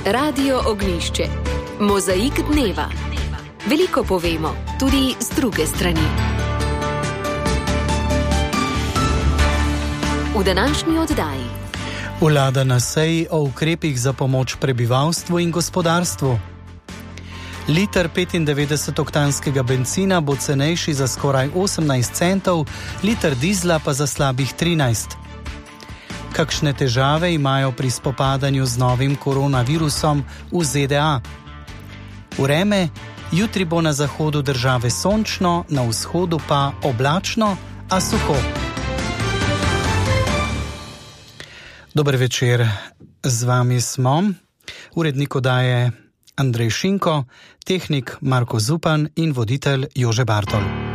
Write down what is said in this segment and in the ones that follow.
Radio Ognjišče. Mozaik dneva. Veliko povemo, tudi z druge strani. V današnji oddaji. Vlada na seji o ukrepih za pomoč prebivalstvu in gospodarstvu. Liter 95-oktanskega bencina bo cenejši za skoraj 18 centov, liter dizla pa za slabih 13. Kakšne težave imajo pri spopadanju z novim koronavirusom v ZDA? Vreme, jutri bo na zahodu države sončno, na vzhodu pa oblačno, a suho. Dober večer, z vami smo. Urednik oddaje Andrej Šinko, tehnik Marko Zupan in voditelj Jože Bartol.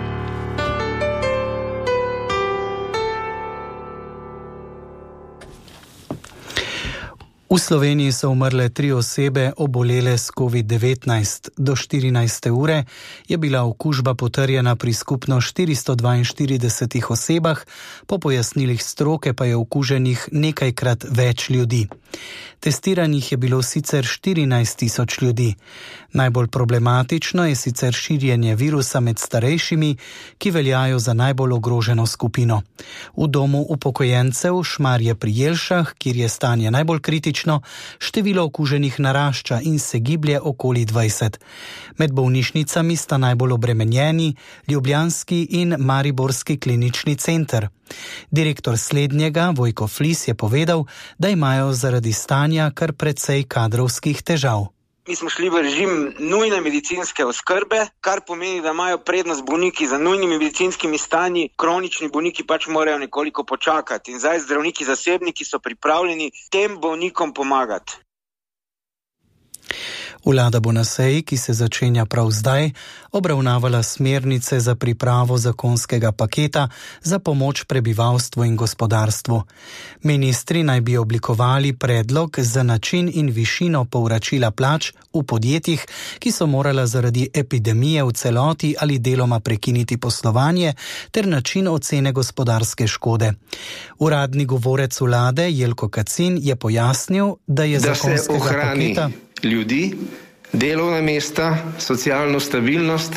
V Sloveniji so umrle 3 osebe, obolele s COVID-19. Do 14. ure je bila okužba potrjena pri skupno 442 osebah, po pojasnilih stroke pa je okuženih nekajkrat več ljudi. Testiranih je bilo sicer 14.000 ljudi. Najbolj problematično je sicer širjenje virusa med starejšimi, ki veljajo za najbolj ogroženo skupino. V domu upokojencev Šmarje pri Jelšah, kjer je stanje najbolj kritično, število okuženih narašča in se giblje okoli 20. Med bolnišnicami sta najbolj obremenjeni ljubljanski in mariborski klinični center. Direktor slednjega, Vojko Flis, je povedal, da imajo zaradi stanja kar precej kadrovskih težav. Mi smo šli v režim nujne medicinske oskrbe, kar pomeni, da imajo prednost bolniki za nujnimi medicinskimi stanji, kronični bolniki pač morajo nekoliko počakati. In zdaj zdravniki zasebniki so pripravljeni tem bolnikom pomagati. Vlada bo na seji, ki se začenja prav zdaj, obravnavala smernice za pripravo zakonskega paketa za pomoč prebivalstvu in gospodarstvu. Ministri naj bi oblikovali predlog za način in višino povračila plač v podjetjih, ki so morala zaradi epidemije v celoti ali deloma prekiniti poslovanje, ter način ocene gospodarske škode. Uradni govorec vlade Jelko Kacin je pojasnil, da je zakonskega paketa ljudi, delovna mesta, socialno stabilnost,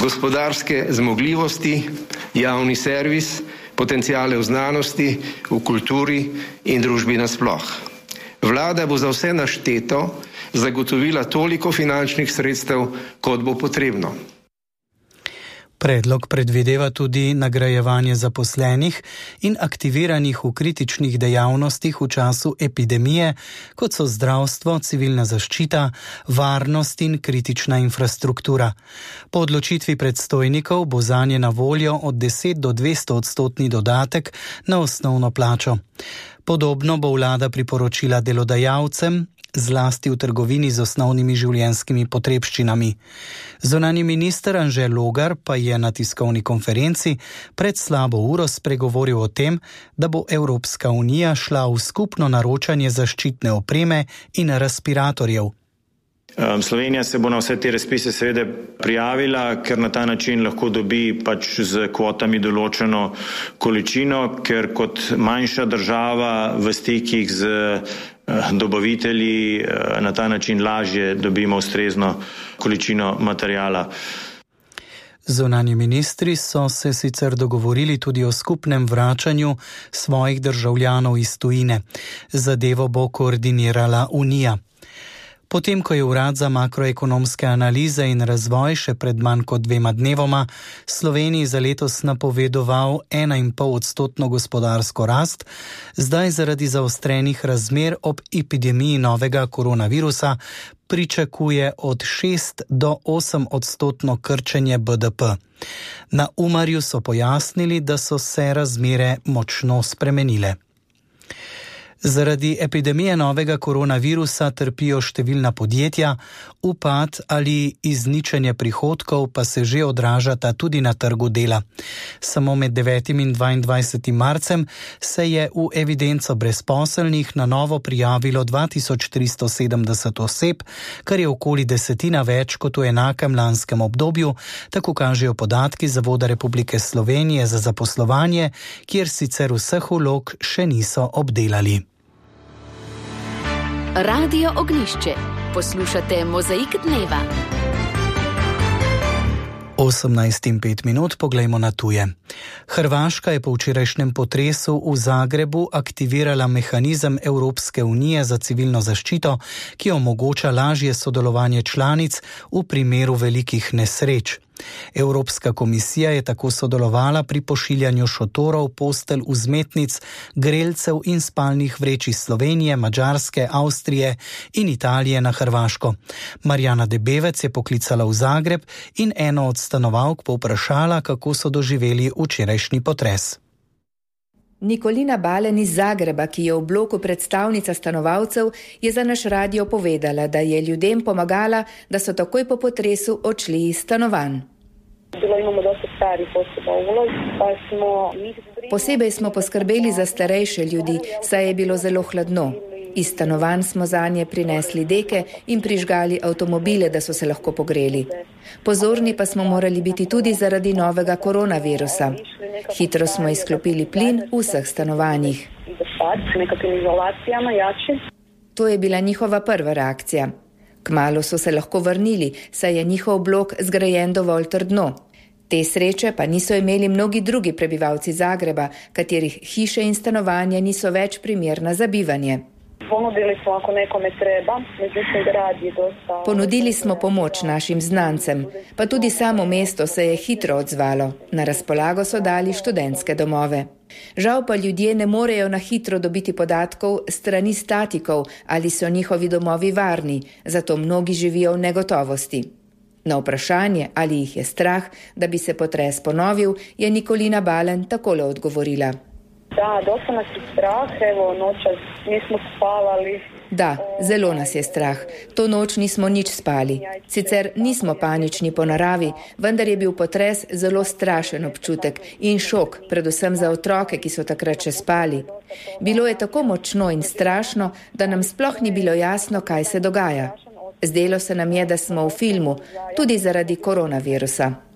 gospodarske zmogljivosti, javni servis, potenciale v znanosti, v kulturi in družbi nasploh. Vlada bo za vse našteto zagotovila toliko finančnih sredstev, kot bo potrebno. Predlog predvideva tudi nagrajevanje zaposlenih in aktiviranih v kritičnih dejavnostih v času epidemije, kot so zdravstvo, civilna zaščita, varnost in kritična infrastruktura. Po odločitvi predstojnikov bo zanje na voljo od 10 do 200% dodatek na osnovno plačo. Podobno bo vlada priporočila delodajalcem, zlasti v trgovini z osnovnimi življenjskimi potrebščinami. Zunanji minister Anže Logar pa je na tiskovni konferenci pred slabo uro spregovoril o tem, da bo Evropska unija šla v skupno naročanje zaščitne opreme in respiratorjev. Slovenija se bo na vse te razpise seveda prijavila, ker na ta način lahko dobi pač z kvotami določeno količino, ker kot manjša država v stikih z dobavitelji na ta način lažje dobimo ustrezno količino materiala. Zunanji ministri so se sicer dogovorili tudi o skupnem vračanju svojih državljanov iz tujine. Zadevo bo koordinirala Unija. Potem, ko je Urad za makroekonomske analize in razvoj še pred manj kot 2 dnevoma Sloveniji za letos napovedoval 1,5% gospodarsko rast, zdaj zaradi zaostrenih razmer ob epidemiji novega koronavirusa pričakuje od 6 do 8% krčenje BDP. Na Umarju so pojasnili, da so se razmere močno spremenile. Zaradi epidemije novega koronavirusa trpijo številna podjetja, upad ali izničenje prihodkov pa se že odražata tudi na trgu dela. Samo med 9. in 22. marcem se je v evidenco brezposelnih na novo prijavilo 2370 oseb, kar je okoli 10 več kot v enakem lanskem obdobju, tako kažejo podatki Zavoda Republike Slovenije za zaposlovanje, kjer sicer vseh vlog še niso obdelali. Radio Ognjišče. Poslušate Mozaik dneva. 18:05, poglejmo na tuje. Hrvaška je po včerajšnjem potresu v Zagrebu aktivirala mehanizem Evropske unije za civilno zaščito, ki omogoča lažje sodelovanje članic v primeru velikih nesreč. Evropska komisija je tako sodelovala pri pošiljanju šotorov, postelj, vzmetnic, grelcev in spalnih vreč iz Slovenije, Madžarske, Avstrije in Italije na Hrvaško. Marjana Debevec je poklicala v Zagreb in eno od stanovalk povprašala, kako so doživeli včerajšnji potres. Nikolina Balen iz Zagreba, ki je v bloku predstavnica stanovalcev, je za naš radio povedala, da je ljudem pomagala, da so takoj po potresu odšli iz stanovanj. Posebej smo poskrbeli za starejše ljudi, saj je bilo zelo hladno. Iz stanovanj smo zanje prinesli deke in prižgali avtomobile, da so se lahko pogreli. Pozorni pa smo morali biti tudi zaradi novega koronavirusa. Hitro smo izklopili plin v vseh stanovanjih. To je bila njihova prva reakcija. Kmalu so se lahko vrnili, saj je njihov blok zgrajen dovolj trdno. Te sreče pa niso imeli mnogi drugi prebivalci Zagreba, katerih hiše in stanovanja niso več primerna za bivanje. Ponudili smo pomoč našim znancem, pa tudi samo mesto se je hitro odzvalo. Na razpolago so dali študentske domove. Žal pa ljudje ne morejo na hitro dobiti podatkov strani statikov, ali so njihovi domovi varni, zato mnogi živijo v negotovosti. Na vprašanje, ali jih je strah, da bi se potres ponovil, je Nikolina Balen takole odgovorila. Da, dosta nas je strah, nočas nismo spavali. Da, zelo nas je strah. To noč nismo nič spali. Sicer nismo panični po naravi, vendar je bil potres zelo strašen občutek in šok, predvsem za otroke, ki so takrat še spali. Bilo je tako močno in strašno, da nam sploh ni bilo jasno, kaj se dogaja. Zdelo se nam je, da smo v filmu, tudi zaradi koronavirusa.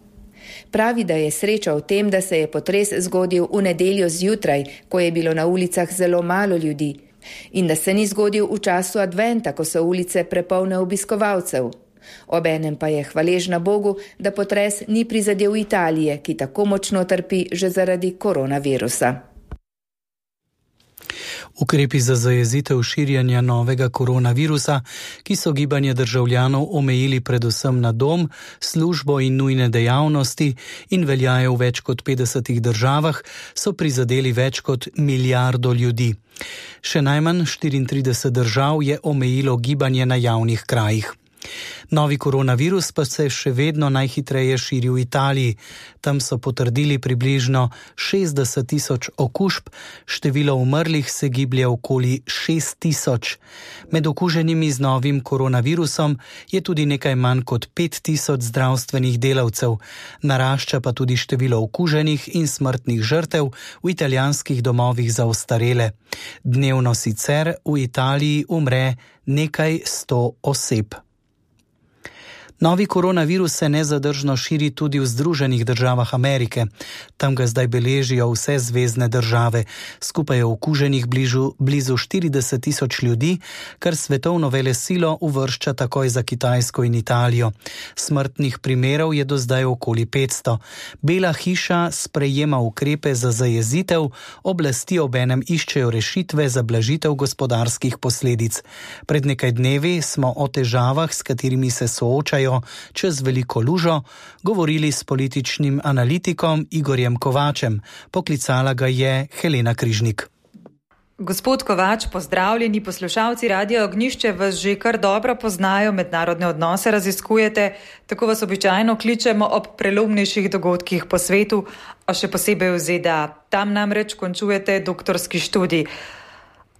Pravi, da je sreča v tem, da se je potres zgodil v nedeljo zjutraj, ko je bilo na ulicah zelo malo ljudi, in da se ni zgodil v času adventa, ko so ulice prepolne obiskovalcev. Obenem pa je hvaležna Bogu, da potres ni prizadel Italije, ki tako močno trpi že zaradi koronavirusa. Ukrepi za zajezitev širjenja novega koronavirusa, ki so gibanje državljanov omejili predvsem na dom, službo in nujne dejavnosti in veljajo v več kot 50 državah, so prizadeli več kot milijardo ljudi. Še najmanj 34 držav je omejilo gibanje na javnih krajih. Novi koronavirus pa se še vedno najhitreje širi v Italiji. Tam so potrdili približno 60 tisoč okužb, število umrlih se giblje okoli 6 tisoč. Med okuženimi z novim koronavirusom je tudi nekaj manj kot 5 tisoč zdravstvenih delavcev. Narašča pa tudi število okuženih in smrtnih žrtev v italijanskih domovih za ostarele. Dnevno sicer v Italiji umre nekaj 100 oseb. Novi koronavirus se nezadržno širi tudi v Združenih državah Amerike. Tam ga zdaj beležijo vse zvezne države. Skupaj je okuženih blizu 40 tisoč ljudi, kar svetovno velesilo uvršča takoj za Kitajsko in Italijo. Smrtnih primerov je do zdaj okoli 500. Bela hiša sprejema ukrepe za zajezitev, oblasti obenem iščejo rešitve za blažitev gospodarskih posledic. Pred nekaj dnevi smo o težavah, s katerimi se soočajo čez veliko lužo, govorili s političnim analitikom Igorjem Kovačem. Poklicala ga je Helena Križnik. Gospod Kovač, pozdravljeni. Poslušalci Radia Ognjišče vas že kar dobro poznajo, mednarodne odnose raziskujete, tako vas običajno kličemo ob prelomnejših dogodkih po svetu, a še posebej v ZDA. Tam namreč končujete doktorski študij.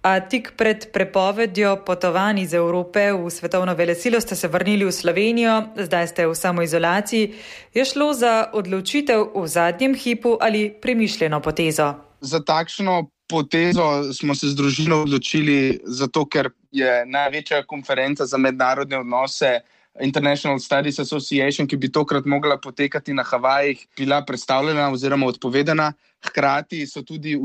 A tik pred prepovedjo potovanj iz Evrope v svetovno velesilo ste se vrnili v Slovenijo, zdaj ste v samoizolaciji. Je šlo za odločitev v zadnjem hipu ali premišljeno potezo? Za takšno potezo smo se z družino odločili, zato ker je največja konferenca za mednarodne odnose International Studies Association, ki bi tokrat mogla potekati na Havajih, bila predstavljena oziroma odpovedana. Hkrati so tudi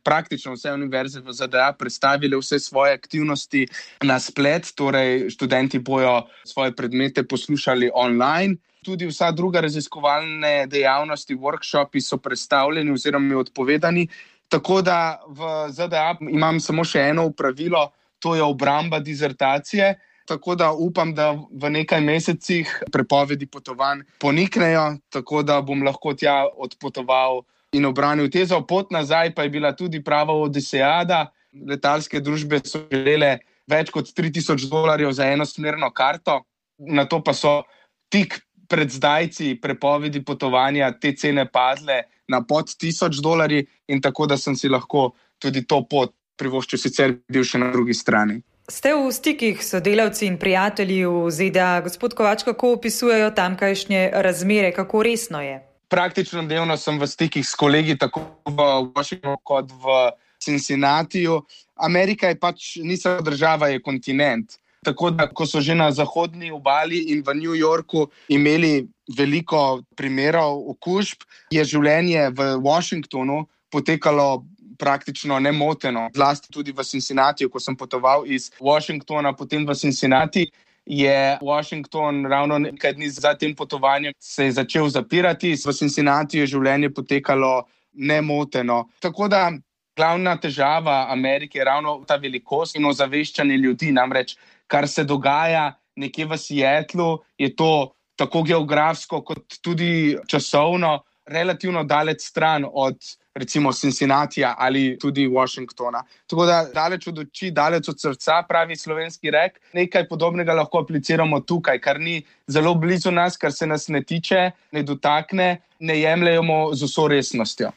praktično vse univerze v ZDA predstavile vse svoje aktivnosti na splet, torej študenti bojo svoje predmete poslušali online. Tudi vsa druga raziskovalne dejavnosti, workshopi so predstavljeni oziroma odpovedani. Tako da v ZDA imam samo še eno opravilo, to je obramba dizertacije. Tako da upam, da v nekaj mesecih prepovedi potovanj poniknejo, tako da bom lahko tja odpotoval in obranil tezo. Pot nazaj pa je bila tudi prava odisejada. Letalske družbe so želele več kot $3,000 za enosmerno karto, na to pa so tik pred zdajci prepovedi potovanja te cene padle na pod $1,000 in tako da sem si lahko tudi to pot privoščil, sicer bil še na drugi strani. Ste v stikih s sodelavci in prijatelji v ZDA. Gospod Kovač, kako opisujejo tamkajšnje razmere, kako resno je? Praktično dnevno sem v stikih s kolegi tako v Washingtonu kot v Cincinnatiju. Amerika je ni samo država, je kontinent. Tako da, ko so že na zahodni obali in v New Yorku imeli veliko primerov okužb, je življenje v Washingtonu potekalo praktično nemoteno. Zlasti tudi v Cincinnatiju, ko sem potoval iz Washingtona, potem v Cincinnati, je Washington ravno nekaj dni za tem potovanjem se je začel zapirati. V Cincinnatiju je življenje potekalo nemoteno. Tako da glavna težava Amerike je ravno ta velikost in ozaveščanje ljudi. Namreč, kar se dogaja nekje v Seattlu, je to tako geografsko kot tudi časovno relativno daleč stran od recimo Cincinnatija ali tudi Washingtona. Tako da daleč od oči, daleč od srca, pravi slovenski rek. Nekaj podobnega lahko apliciramo tukaj, kar ni zelo blizu nas, kar se nas ne tiče, ne dotakne, ne jemljemo z vso resnostjo.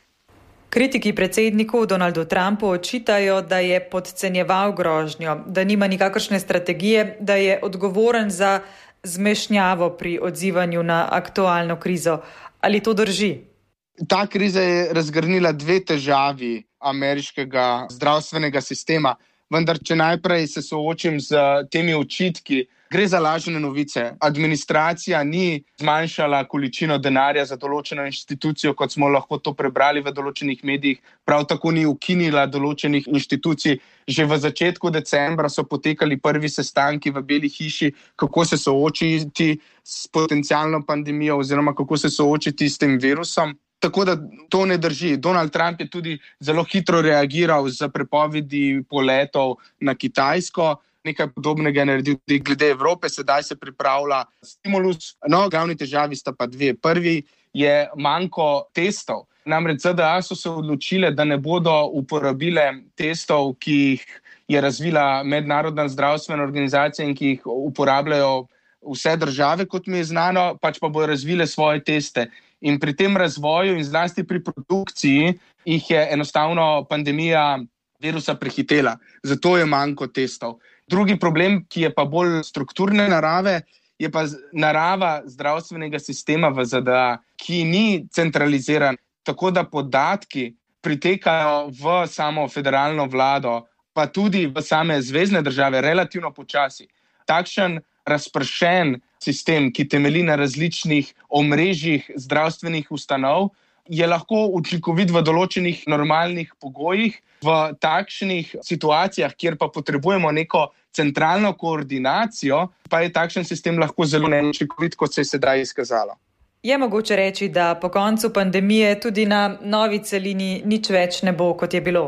Kritiki predsedniku Donaldu Trumpu očitajo, da je podcenjeval grožnjo, da nima nikakršne strategije, da je odgovoren za zmešnjavo pri odzivanju na aktualno krizo. Ali to drži? Ta kriza je razgrnila dve težavi ameriškega zdravstvenega sistema, vendar če najprej se soočim z temi očitki, gre za lažne novice. Administracija ni zmanjšala količino denarja za določeno inštitucijo, kot smo lahko to prebrali v določenih medijih, prav tako ni ukinila določenih inštitucij. Že v začetku decembra so potekali prvi sestanki v Beli hiši, kako se soočiti s potencialno pandemijo oziroma kako se soočiti s tem virusom. Tako da to ne drži. Donald Trump je tudi zelo hitro reagiral z prepovedi poletov na Kitajsko. Nekaj podobnega je naredil tudi glede Evrope, sedaj se pripravlja stimulus. No, glavni težavi sta pa dve. Prvi je manko testov. Namreč ZDA so se odločile, da ne bodo uporabile testov, ki jih je razvila Mednarodna zdravstvena organizacija in ki jih uporabljajo vse države, kot mi je znano, pač pa bodo razvile svoje teste. In pri tem razvoju in zlasti pri produkciji jih je enostavno pandemija virusa prehitela. Zato je manko testov. Drugi problem, ki je pa bolj strukturne narave, je pa narava zdravstvenega sistema v ZDA, ki ni centraliziran, tako da podatki pritekajo v samo federalno vlado, pa tudi v same zvezne države relativno počasi. Takšen razpršen sistem, ki temelji na različnih omrežjih zdravstvenih ustanov, je lahko učinkovit v določenih normalnih pogojih. V takšnih situacijah, kjer pa potrebujemo neko centralno koordinacijo, pa je takšen sistem lahko zelo neučinkovit, kot se je sedaj izkazalo. Je mogoče reči, da po koncu pandemije tudi na novi celini nič več ne bo, kot je bilo?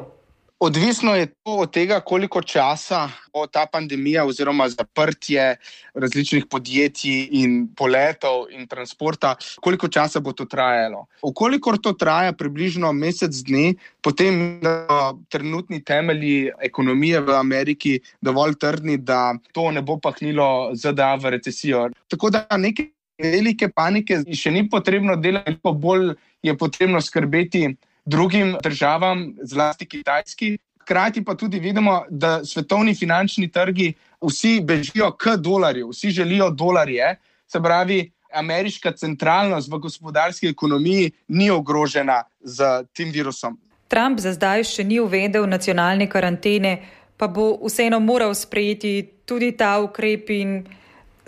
Odvisno je to od tega, koliko časa bo ta pandemija oziroma zaprtje različnih podjetij in poletov in transporta, koliko časa bo to trajalo. Ukolikor to traja približno mesec dni, potem trenutni temelji ekonomije v Ameriki dovolj trdni, da to ne bo pahnilo ZDA v recesijo. Tako da neke velike panike še ni potrebno delati, pa bolj je potrebno skrbeti drugim državam, zlasti Kitajski. Hkrati pa tudi vidimo, da svetovni finančni trgi vsi bežijo k dolarju, vsi želijo dolarje, se pravi, ameriška centralnost v gospodarski ekonomiji ni ogrožena z tem virusom. Trump za zdaj še ni uvedel nacionalne karantene, pa bo vseeno moral sprejeti tudi ta ukrep in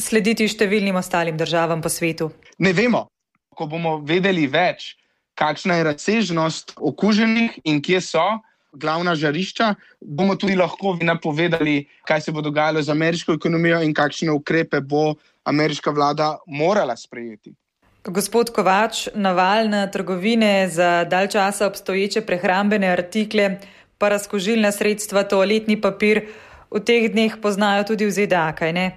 slediti številnim ostalim državam po svetu? Ne vemo. Ko bomo vedeli več, kakšna je razsežnost okuženih in kje so glavna žarišča, bomo tudi lahko napovedali, kaj se bo dogajalo z ameriško ekonomijo in kakšne ukrepe bo ameriška vlada morala sprejeti. Gospod Kovač, naval na trgovine za dalj časa obstoječe prehrambene artikle, pa razkužilna sredstva, toaletni papir, v teh dneh poznajo tudi v ZDA, kaj ne?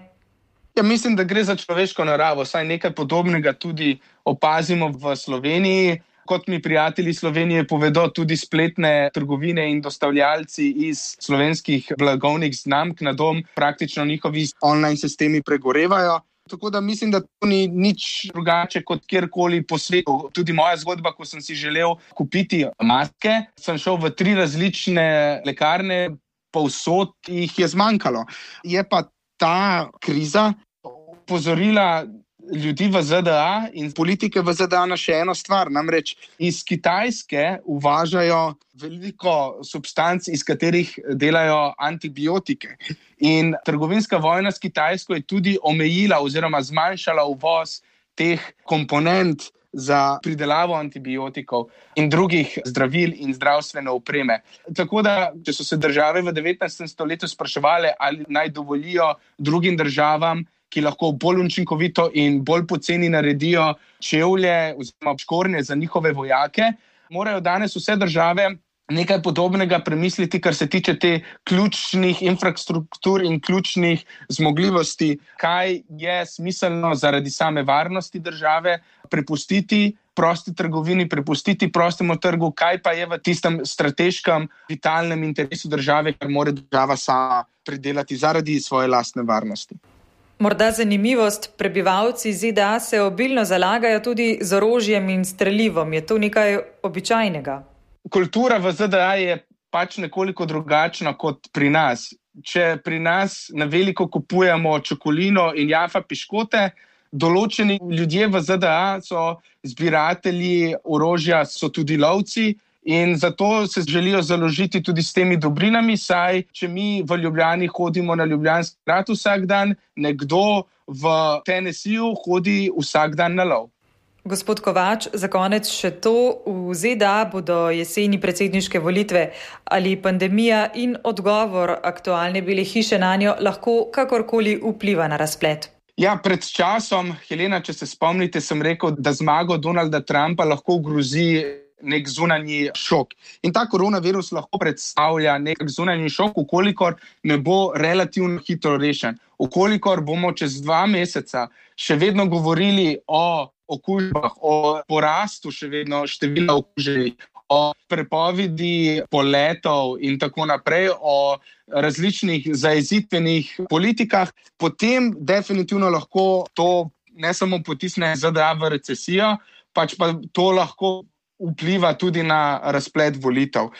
Ja, mislim, da gre za človeško naravo, saj nekaj podobnega tudi opazimo v Sloveniji. Kot mi prijatelji Slovenije povedo, tudi spletne trgovine in dostavljalci iz slovenskih blagovnih znamk na dom, praktično njihovi online sistemi pregorevajo. Tako da mislim, da to ni nič drugače kot kjerkoli po svetu. Tudi moja zgodba, ko sem si želel kupiti maske, sem šel v 3 različne lekarne, povsod jih je zmanjkalo. Je pa ta kriza opozorila ljudi v ZDA in politike v ZDA na še eno stvar. Namreč iz Kitajske uvažajo veliko substanc, iz katerih delajo antibiotike. In trgovinska vojna s Kitajsko je tudi omejila oziroma zmanjšala uvoz teh komponent za pridelavo antibiotikov in drugih zdravil in zdravstvene opreme. Tako da, če so se države v 19. stoletju spraševale, ali naj dovolijo drugim državam, ki lahko bolj učinkovito in bolj poceni naredijo čevlje oziroma škornje za njihove vojake, morajo danes vse države nekaj podobnega premisliti, kar se tiče te ključnih infrastruktur in ključnih zmogljivosti, kaj je smiselno zaradi same varnosti države prepustiti prosti trgovini, prepustiti prostemu trgu, kaj pa je v tistem strateškem, vitalnem interesu države, kar mora država sama pridelati zaradi svoje lastne varnosti. Morda zanimivost, prebivalci ZDA se obilno zalagajo tudi z orožjem in strelivom. Je to nekaj običajnega? Kultura v ZDA je pač nekoliko drugačna kot pri nas. Če pri nas na veliko kupujemo čokolino in jafa piškote, določeni ljudje v ZDA so zbiratelji orožja, so tudi lovci in zato se želijo založiti tudi s temi dobrinami, saj če mi v Ljubljani hodimo na Ljubljanski grad vsak dan, nekdo v Tennesseeju hodi vsak dan na lov. Gospod Kovač, za konec še to. V ZDA bodo jeseni predsedniške volitve. Ali pandemija in odgovor aktualne Bele hiše nanjo lahko kakorkoli vpliva na razplet? Ja, pred časom, Helena, če se spomnite, sem rekel, da zmago Donalda Trumpa lahko grozi nek zunanji šok. In ta koronavirus lahko predstavlja nek zunanji šok, ukolikor ne bo relativno hitro rešen. Ukolikor bomo čez 2 meseca še vedno govorili o okužbah, o porastu še vedno števila okuženih, o prepovedi poletov in tako naprej, o različnih zajezitvenih politikah, potem definitivno lahko to ne samo potisne ZDA v recesijo, pač pa to lahko vpliva tudi na razplet volitev.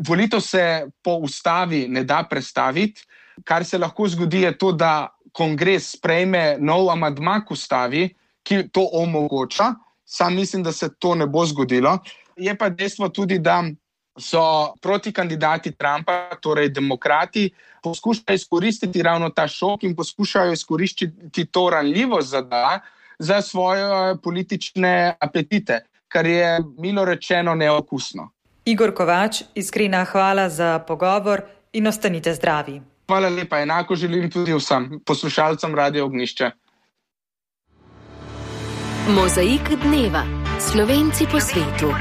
Volitev se po ustavi ne da prestaviti. Kar se lahko zgodi je to, da kongres sprejme nov amandma k ustavi, ki to omogoča. Sam mislim, da se to ne bo zgodilo. Je pa dejstvo tudi, da so protikandidati Trumpa, torej demokrati, poskušajo izkoristiti ravno ta šok in poskušajo izkoristiti to ranljivost ZDA za svoje politične apetite, kar je milo rečeno neokusno. Igor Kovač, iskrena hvala za pogovor in ostanite zdravi. Hvala lepa, enako želim tudi vsem poslušalcem Radio Ognjišče. Mozaik dneva. Slovenci po svetu.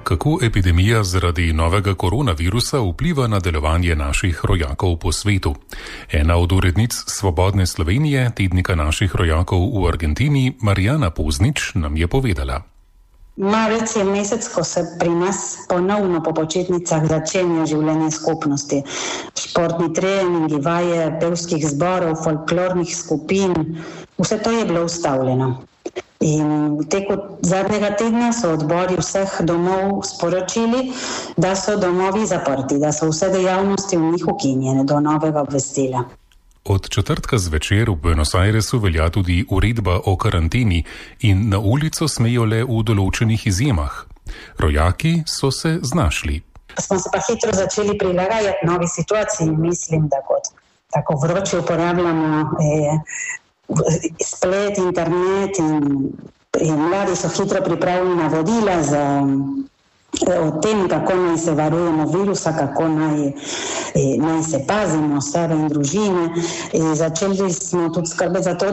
Kako epidemija zaradi novega koronavirusa vpliva na delovanje naših rojakov po svetu? Ena od urednic Svobodne Slovenije, tednika naših rojakov v Argentini, Marijana Poznič, nam je povedala. Marec je mesec, ko se pri nas ponovno po počitnicah začenja življenje skupnosti. Športni treningi, vaje pevskih zborov, folklornih skupin, vse to je bilo ustavljeno. In v teku zadnjega tedna so odbori vseh domov sporočili, da so domovi zaprti, da so vse dejavnosti v njih ukinjene do novega obvestila. Od četrtka zvečer v Buenos Airesu velja tudi uredba o karanteni in na ulico smejo le v določenih izjemah. Rojaki so se znašli. Smo se pa hitro začeli prilagajati novi situaciji, mislim, da kot tako vroče uporabljamo splet, internet in mladi so hitro pripravljeni na vodila o tem, kako naj se varujemo virusa, kako naj se pazimo sebe in družine. Začeli smo tudi skrbeti za to,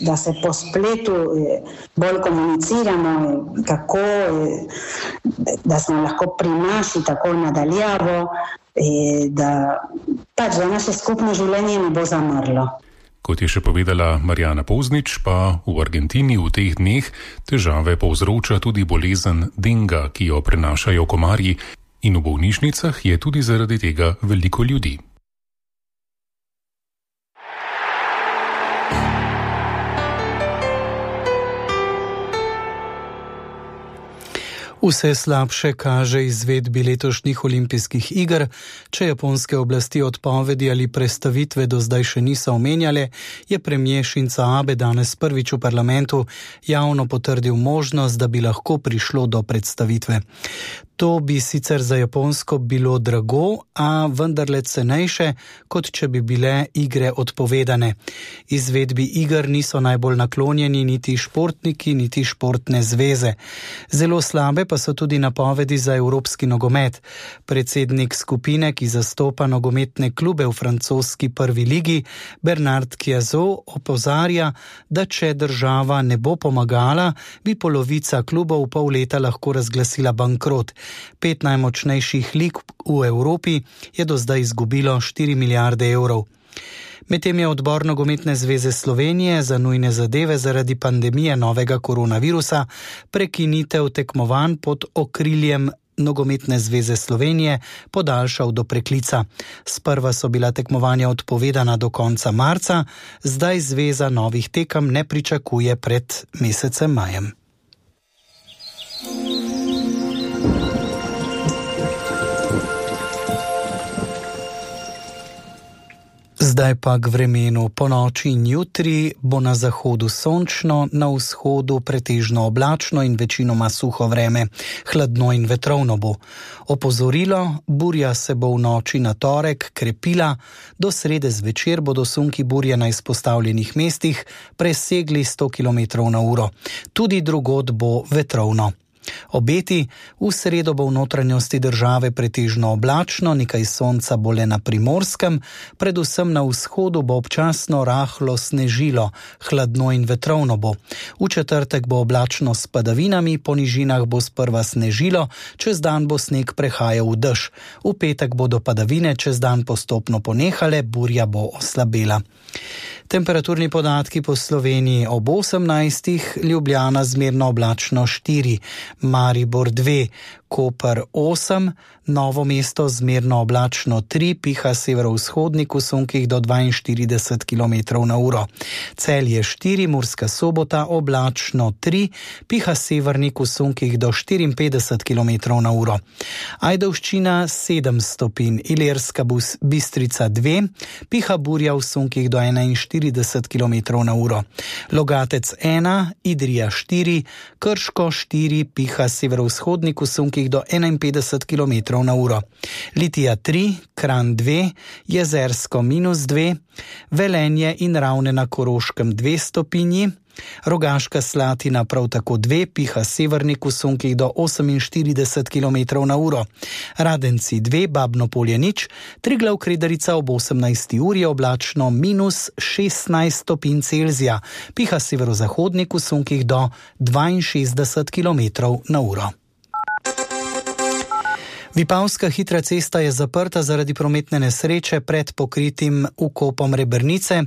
da se po spletu bolj komuniciramo, kako da smo lahko pri naši tako nadaljavo, da naše skupno življenje ne bo zamrlo. Kot je še povedala Marjana Poznič, pa v Argentini v teh dneh težave povzroča tudi bolezen denga, ki jo prenašajo komarji, in v bolnišnicah je tudi zaradi tega veliko ljudi. Vse slabše kaže izvedbi letošnjih olimpijskih iger. Če japonske oblasti odpovedi ali prestavitve do zdaj še niso omenjale, je premier Shinzo Abe danes prvič v parlamentu javno potrdil možnost, da bi lahko prišlo do predstavitve. To bi sicer za Japonsko bilo drago, a vendarle cenejše, kot če bi bile igre odpovedane. Izvedbi iger niso najbolj naklonjeni niti športniki, niti športne zveze. Zelo slabe pa so tudi napovedi za evropski nogomet. Predsednik skupine, ki zastopa nogometne klube v francoski prvi ligi, Bernard Chiazot, opozarja, da če država ne bo pomagala, bi polovica klubov v pol leta lahko razglasila bankrot. 5 najmočnejših lig v Evropi je do zdaj izgubilo 4 milijarde evrov. Medtem je odbor Nogometne zveze Slovenije za nujne zadeve zaradi pandemije novega koronavirusa prekinitev tekmovanj pod okriljem Nogometne zveze Slovenije podaljšal do preklica. Sprva so bila tekmovanja odpovedana do konca marca, zdaj zveza novih tekem ne pričakuje pred mesecem majem. Zdaj pa k vremenu. Po noči in jutri bo na zahodu sončno, na vzhodu pretežno oblačno in večinoma suho vreme. Hladno in vetrovno bo. Opozorilo, burja se bo v noči na torek krepila, do srede zvečer bodo sunki burje na izpostavljenih mestih presegli 100 km/h. Tudi drugod bo vetrovno. Obeti, v sredo bo v notranjosti države pretežno oblačno, nekaj sonca bo le na Primorskem, predvsem na vzhodu bo občasno rahlo snežilo, hladno in vetrovno bo. V četrtek bo oblačno s padavinami, po nižinah bo sprva snežilo, čez dan bo sneg prehajal v dež. V petek bodo padavine čez dan postopno ponehale, burja bo oslabela. Temperaturni podatki po Sloveniji ob 18, Ljubljana zmerno oblačno 4, Maribor 2, Koper 8, Novo mesto zmerno oblačno 3, piha severovzhodnik v sunkih do 42 km/h. Celje 4, Murska Sobota oblačno 3, piha severnik v sunkih do 54 km/h. Ajdovščina 7 stopinj, Ilirska Bistrica 2, piha burja v sunkih do 41 km/h. Logatec 1, Idrija 4, Krško 4, piha severovzhodnik v sunkih do 51 km/h. Litija 3, Kranj 2, Jezersko -2, Velenje in Ravne na Koroškem 2 stopinji, Rogaška Slatina prav tako 2, piha severnik v sunkih do 48 km/h. Radenci 2, Babno Polje 0, Triglav Kredarica ob 18. uri oblačno -16 stopinj Celzija, piha severozahodnik v sunkih do 62 km/h. Vipavska hitra cesta je zaprta zaradi prometne nesreče pred pokritim vkopom Rebrnice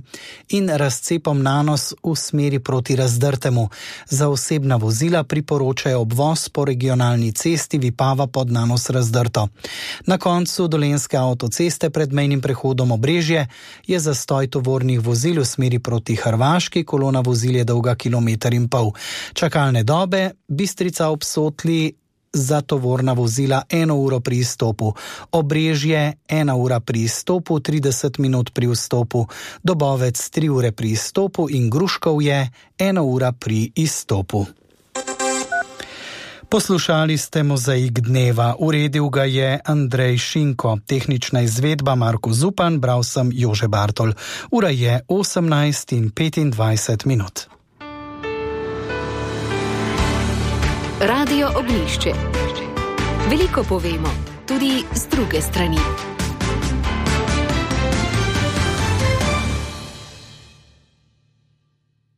in razcepom Nanos v smeri proti Razdrtemu. Za osebna vozila priporočajo obvoz po regionalni cesti Vipava pod Nanos Razdrto. Na koncu Dolenjske avtoceste pred mejnim prehodom Obrežje je zastoj tovornih vozil v smeri proti Hrvaški, kolona vozil je dolga 1,5 km. Čakalne dobe, Bistrica ob Sotli za tovorna vozila 1 uro pri izstopu, Obrežje 1 ura pri izstopu, 30 minut pri vstopu, Dobovec 3 ure pri izstopu in Gruškovje 1 ura pri izstopu. Poslušali ste Mozaik dneva, uredil ga je Andrej Šinko, tehnična izvedba Marko Zupan, bral sem Jože Bartol. Ura je 18:25. Radio Ognjišče. Veliko povemo, tudi z druge strani.